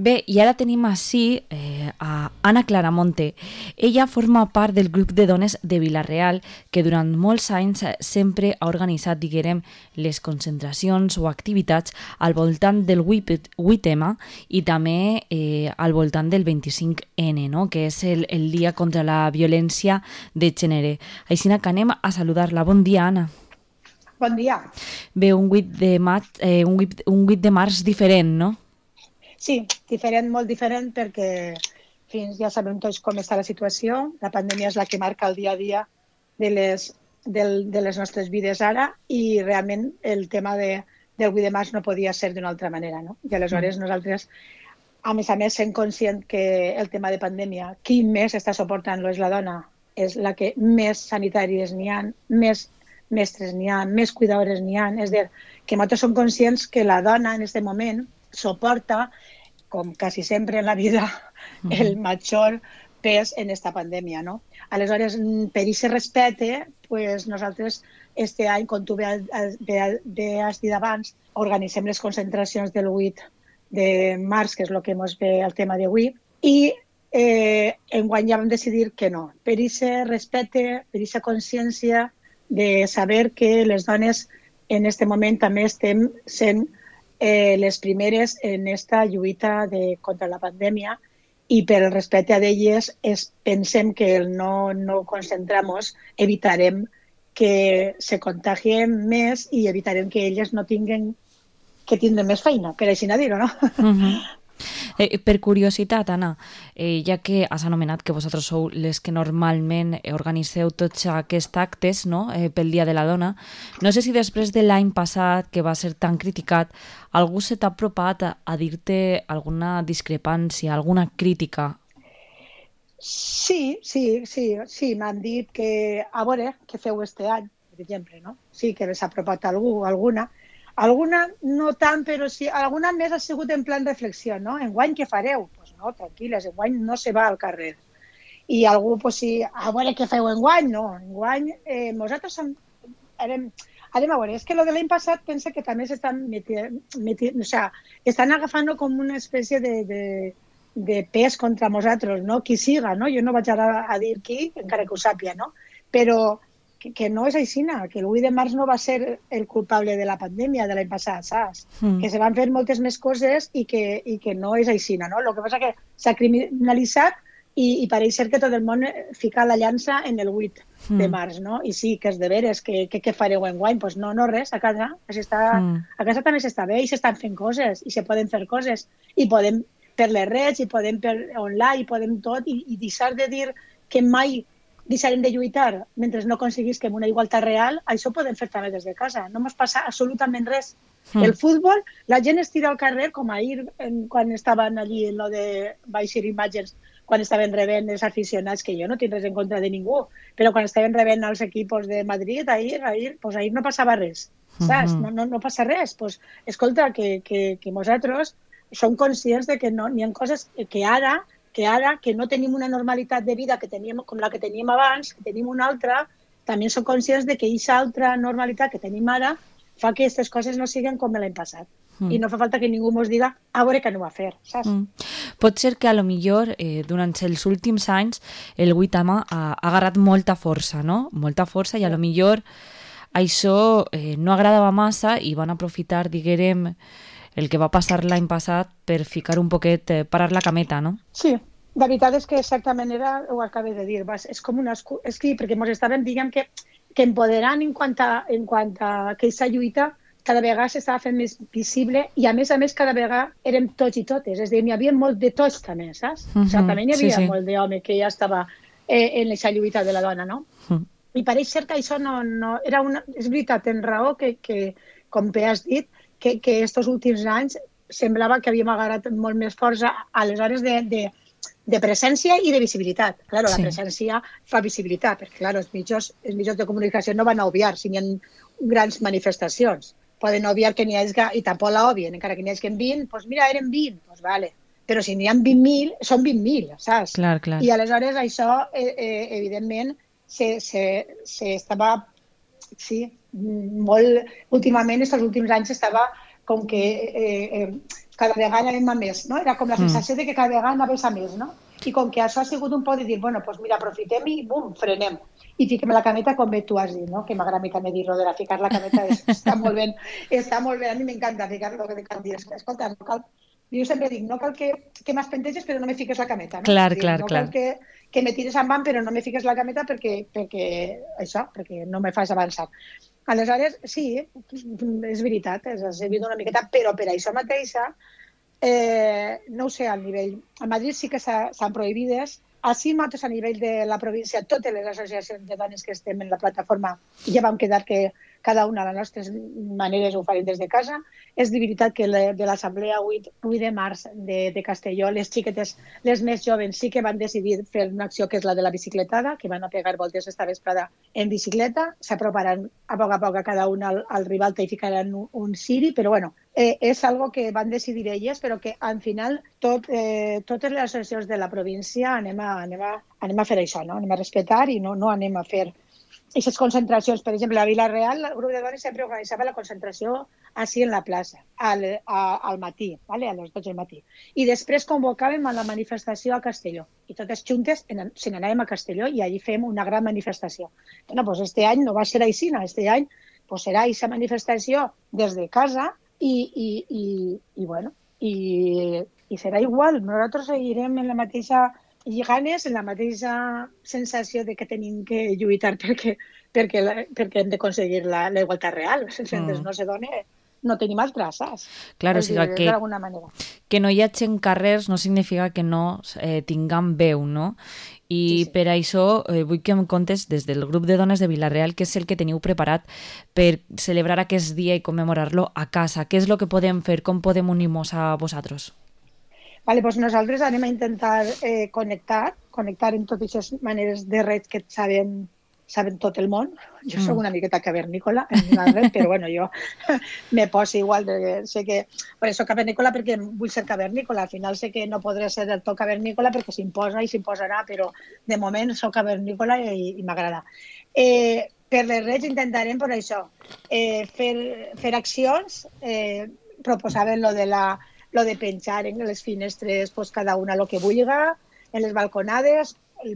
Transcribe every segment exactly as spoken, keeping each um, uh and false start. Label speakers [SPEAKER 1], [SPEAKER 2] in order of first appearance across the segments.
[SPEAKER 1] Bé, i ara tenim així eh, a Ana Claramonte. Ella forma part del grup de dones de Vila-real que durant molts anys sempre ha organitzat, diguem, les concentracions o activitats al voltant del vuit ema i també eh, al voltant del vint-i-cinc ene, no? Que és el, el dia contra la violència de gènere. Així que anem a saludar-la. Bon dia, Anna.
[SPEAKER 2] Bon dia.
[SPEAKER 1] Bé, un vuit de maig, eh, un vuit, un vuit de març diferent, no?
[SPEAKER 2] Sí, diferent, molt diferent, perquè fins ja sabem tots com està la situació. La pandèmia és la que marca el dia a dia de les, del, de les nostres vides ara i realment el tema de, del vuit de març no podia ser d'una altra manera, no? I aleshores mm. nosaltres, a més a més, sent conscient que el tema de pandèmia, qui més està suportant-lo és la dona, és la que més sanitàries n'hi ha, més mestres n'hi ha, més cuidadores n'hi ha. És a dir, que nosaltres som conscients que la dona en aquest moment soporta, com quasi sempre en la vida, el major pes en esta pandèmia, no? Aleshores, per aquest respecte, pues nosaltres este any, com tu bé has dit abans, organitzem les concentracions del vuit de març, que és el que ens ve el tema d'avui, i eh, enguany ja vam decidir que no. Per aquest respecte, per aquesta consciència de saber que les dones en aquest moment també estem sent Eh, les primeres en esta lluita de, contra la pandèmia i per el respecte a d'elles es, pensem que el no, no concentramos evitarem que se contagien més i evitarem que elles no tinguin que tindrem més feina, per així dir-ho, no?
[SPEAKER 1] Uh-huh. Eh, per curiositat, Anna, eh, ja que has anomenat que vosaltres sou les que normalment organitzeu tots aquests actes, no? eh, pel Dia de la Dona, no sé si després de l'any passat, que va ser tan criticat, algú se t'ha apropat a, a dir-te alguna discrepància, alguna crítica?
[SPEAKER 2] Sí, sí, sí, sí, m'han dit que, a veure, què feu este any, per exemple, no? Sí, que s'ha apropat algú, alguna. Alguna no tant, però sí, alguna més ha sigut en plan reflexió, no? Enguany què fareu? Doncs pues no, tranquil·les, enguany no se va al carrer. I algú, pues sí, a veure què feu enguany? No, enguany eh, nosaltres som, anem, anem a veure, és que lo de l'any passat pensa que també s'estan metint, o sea, estan agafant com una espècie de, de, de pes contra nosaltres, no? Qui siga, no? Jo no vaig ara a dir qui, encara que ho sàpia, no? Però Que, que no és així, que el vuit de març no va ser el culpable de la pandèmia de l'any passat, saps? Mm. Que se van fer moltes més coses i que, i que no és així, no? El que passa que s'ha criminalitzat i, i pareix ser que tot el món fica la llança en el vuit mm. de març, no? I sí, que és de veres, que, que, que fareu enguany? Doncs pues no, no res, a casa, mm. a casa també s'està bé i s'estan fent coses i se poden fer coses i podem per les redes i podem per online i podem tot i, i deixar de dir que mai deixarem de lluitar mentre no aconseguisquem una igualtat real, això ho podem fer també des de casa. No ens passa absolutament res. Mm. El futbol, la gent es tira al carrer, com ahir, en, quan estaven allí en lo de baixir imatges, quan estaven rebent els aficionats, que jo no tinc res en contra de ningú, però quan estaven rebent els equipos de Madrid, ahir, ahir, pues ahir no passava res. Saps? Mm-hmm. No, no, no passa res. Pues, escolta, que, que, que nosaltres som conscients de que no, n'hi ha coses que ara que ara, que no tenim una normalitat de vida que teníem, com la que teníem abans, que tenim una altra, també som conscients de que aquesta altra normalitat que tenim ara fa que aquestes coses no siguin com l'any passat. Mm. I no fa falta que ningú ens diga a veure què anem a fer, saps? Mm.
[SPEAKER 1] Pot ser que a lo millor eh, durant els últims anys el vuit ema ha, ha agarrat molta força, no? Molta força i a lo millor això eh, no agradava massa i van aprofitar, diguem, el que va passar l'any passat per ficar un poquet, eh, parar la cameta, no?
[SPEAKER 2] Sí, la veritat és que exactament era, ho acabé de dir, vas, és com una excusa, és que perquè ens estàvem, diguem, que, que empoderant en quant a, en quant a que aquesta lluita cada vegada s'estava fent més visible i a més a més cada vegada érem tots i totes, és a dir, n'hi havia molt de tots també, saps? Mm-hmm. O sigui, també n'hi havia sí, sí. molt d'home que ja estava eh, en aquesta lluita de la dona, no? Mm. I pareix ser que això no, no era una, és veritat, tens raó que, que com bé has dit, que, que estos últims anys semblava que havíem agarrat molt més força aleshores de, de, de presència i de visibilitat. Claro, sí. La presència fa visibilitat, perquè claro, els, mitjans, els mitjans de comunicació no van a obviar si hi ha grans manifestacions. Poden obviar que n'hi hagi, i tampoc la obvien, encara que n'hi hagi vint, doncs mira, eren vint, doncs vale. Però si n'hi ha vint mil, són vint mil, saps?
[SPEAKER 1] Clar, clar.
[SPEAKER 2] I aleshores això, eh, eh, evidentment, se, se, se estava, sí, molt, últimament, aquests últims anys, estava com que eh, eh, cada vegada anem a més, no? Era com la sensació de que cada vegada anaves a més, no? I com que això ha sigut un poc de dir, bueno, doncs mira, aprofitem i bum, frenem. I fiquem la cameta com bé tu has dit, no? Que m'agrada a mi també dir-ho de la ficar la cameta, és, està molt bé, està molt bé, a mi m'encanta ficar-lo, que cal dir, escolta, no cal, jo sempre dic, no cal que, que m'espenteges però no me fiques la cameta, no?
[SPEAKER 1] Clar,
[SPEAKER 2] dir,
[SPEAKER 1] clar,
[SPEAKER 2] no
[SPEAKER 1] clar.
[SPEAKER 2] cal que, que me tires en van però no me fiques la cameta perquè, perquè això, perquè no me fas avançar. Aleshores, sí, és veritat, s'ha servit una miqueta, però per això mateixa, eh, no ho sé, al nivell... A Madrid sí que s'han prohibides. Així nosaltres a nivell de la província, totes les associacions de dones que estem en la plataforma ja vam quedar que cada una de les nostres maneres ho farem des de casa. És de veritat que de l'assemblea vuit de març de, de Castelló, les xiquetes, les més joves, sí que van decidir fer una acció que és la de la bicicletada, que van a pegar voltes esta vesprada en bicicleta, s'aproparan a poc a poc a cada una al, al Ribalta i ficaran un, un ciri, però bueno, eh, és algo que van decidir elles, però que al final tot, eh, totes les associacions de la província anem a, anem a, anem a fer això, no? Anem a respetar i no, no anem a fer aquestes concentracions. Per exemple, a Vila-real, el grup de dones sempre organitzava la concentració així en la plaça, al, a, al matí, ¿vale? A les dotze del matí. I després convocàvem a la manifestació a Castelló. I totes juntes se n'anàvem a Castelló i allí fem una gran manifestació. Bueno, pues este any no va ser així, este any pues serà aquesta manifestació des de casa i, i, i, i bueno, i, i serà igual. Nosaltres seguirem en la mateixa i ganes, en la mateixa sensació de que tenim que lluitar perquè, perquè, perquè hem d'aconseguir la, la igualtat real. Sense mm. no se dona, no tenim altres, saps?
[SPEAKER 1] Claro, o sigui, que,
[SPEAKER 2] d'alguna manera.
[SPEAKER 1] Que no hi hagi carrers no significa que no eh, tinguem veu, no? I sí, sí. Per això eh, vull que em contes des del grup de dones de Vila-real què és el que teniu preparat per celebrar aquest dia i commemorar-lo a casa. Què és el que podem fer? Com podem unir-nos a vosaltres?
[SPEAKER 2] Vale, doncs nosaltres anem a intentar eh, connectar, connectar en totes aquestes maneres de red que saben, saben tot el món. Jo mm. soc una miqueta cavernícola en una red, però bueno, jo me poso igual, de, sé que... Bueno, soc cavernícola perquè vull ser cavernícola, al final sé que no podré ser del tot cavernícola perquè s'imposa i s'imposarà, però de moment soc cavernícola i, i m'agrada. Eh, per les redes intentarem, per això, eh, fer, fer accions, eh, proposaven lo de la... lo de penjar en les finestres pues, cada una lo que vulga, en les balconades,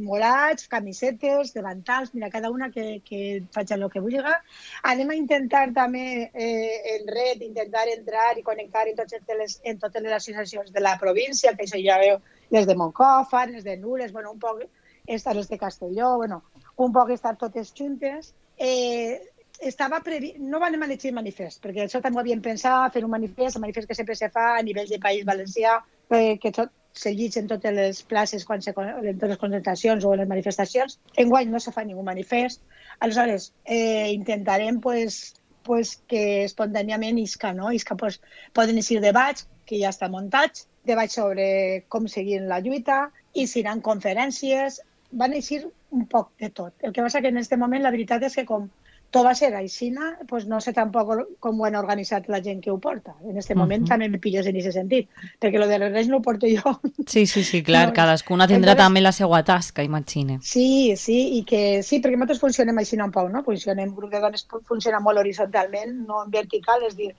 [SPEAKER 2] molats, camisetes, davantals, mira, cada una que, que faci el que vulga. Anem a intentar també eh, en red, intentar entrar i connectar en totes, les, en totes les associacions de la província, que això ja veu les de Montcòfor, les de Nules, bueno, un poc estar les de Castelló, bueno, un poc estar totes juntes. Eh, Estava previ... No vam elegir manifest, perquè això també ho havíem pensat, fer un manifest, el manifest que sempre se fa a nivell de País Valencià, eh, que tot se llig en totes les places, quan se, en totes les concentracions o en les manifestacions. Enguany no se fa ningú manifest. Aleshores, eh, intentarem pues, pues, que espontàniament isca, no? Isca, pues, poden eixir debats, que ja estan muntats, debats sobre com seguir la lluita, i seran conferències, van eixir un poc de tot. El que passa que en aquest moment la veritat és que com tot va ser aixina, pues no sé tampoc com ho han organitzat la gent que ho porta. En aquest moment uh -huh. també me pilles en aquest sentit, perquè lo de les reis no ho porto jo.
[SPEAKER 1] Sí, sí, sí, clar, no, cadascuna tindrà entonces, també la seva tasca, imagine.
[SPEAKER 2] Sí, sí, i que sí, perquè nosaltres funcionem així un poc, no? Funcionem, el grup de dones funciona molt horitzontalment, no en vertical, és dir,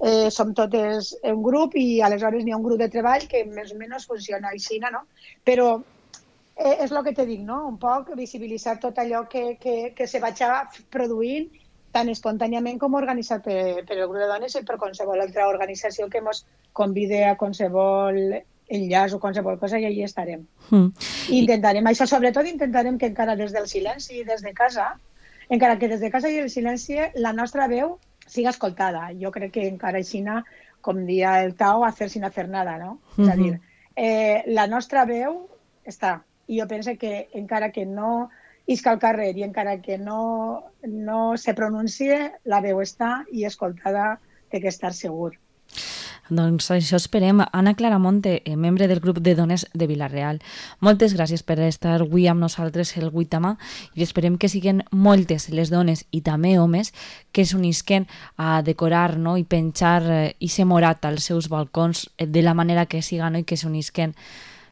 [SPEAKER 2] eh, som totes un grup i aleshores n'hi ha un grup de treball que més o menys funciona així, no? Però Eh, és el que te dic, no? Un poc visibilitzar tot allò que, que, que se vaig produint tan espontàniament com organitzat per, per el grup de dones i per qualsevol altra organització que ens convide a qualsevol enllaç o qualsevol cosa i allà estarem. Mm. Intentarem, això sobretot intentarem que encara des del silenci i des de casa, encara que des de casa i el silenci la nostra veu siga escoltada. Jo crec que encara així, com dia el Tao, hacer sin hacer nada, no? Mm-hmm. És a dir, eh, la nostra veu està. I jo penso que encara que no isca al carrer i encara que no, no se pronuncie, la veu està i escoltada té que estar segur.
[SPEAKER 1] Doncs això esperem. Anna Claramonte, membre del grup de dones de Vila-real. Moltes gràcies per estar avui amb nosaltres el vuit de març i esperem que siguin moltes les dones i també homes que s'unisquen a decorar, no? I penjar i ser morat als seus balcons de la manera que siga, no? I que s'unisquen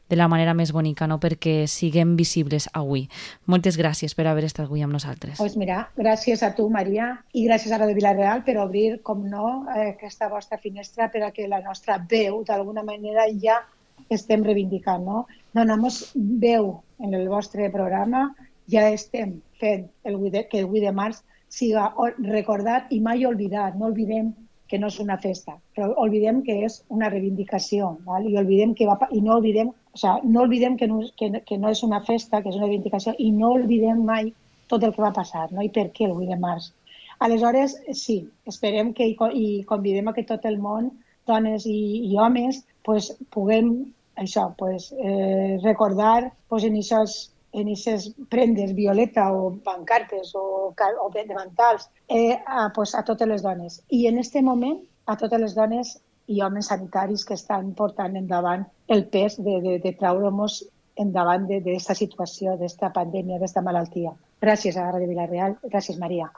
[SPEAKER 1] de la manera més bonica, no? Perquè siguem visibles avui. Moltes gràcies per haver estat avui amb nosaltres.
[SPEAKER 2] Pues mira, gràcies a tu, Maria, i gràcies a Radio Vila-real per obrir, com no, aquesta vostra finestra per a que la nostra veu, d'alguna manera, ja estem reivindicant, no? Donem-nos veu en el vostre programa, ja estem fent el vuit de, que el vuit de març siga recordat i mai oblidat. No oblidem que no és una festa, però oblidem que és una reivindicació, val? I, oblidem que va, i no oblidem, o sea, no oblidem que no, que, que no és una festa, que és una reivindicació, i no oblidem mai tot el que va passar, no? I per què el vuit de març. Aleshores, sí, esperem que i convidem a que tot el món, dones i, i homes, pues, puguem això, pues, eh, recordar pues, en aquestes en aquestes prendes violeta o pancartes o, o davantals eh, a, pues, a totes les dones. I en aquest moment a totes les dones i homes sanitaris que estan portant endavant el pes de, de, de traure-nos endavant d'aquesta situació, d'aquesta pandèmia, d'aquesta malaltia. Gràcies a Ràdio Vila-real. Gràcies, Maria.